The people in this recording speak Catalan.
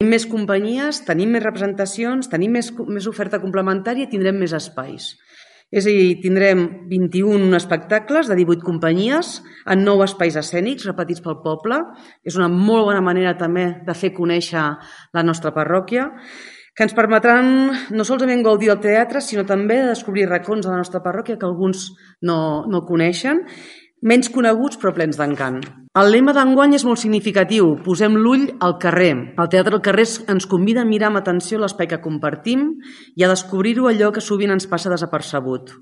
més companyies, tenim més representacions, tenim més oferta complementària i tindrem més espais. És a dir, tindrem 21 espectacles de 18 companyies en 9 espais escènics repetits pel poble. És una molt bona manera també de fer conèixer la nostra parròquia, que ens permetran no solament gaudir del teatre, sinó també de descobrir racons de la nostra parròquia que alguns no coneixen, menys coneguts però plens d'encant. El lema d'enguany és molt significatiu, posem l'ull al carrer. El Teatre al carrer ens convida a mirar amb atenció l'espai que compartim i a descobrir-ho allò que sovint ens passa desapercebut.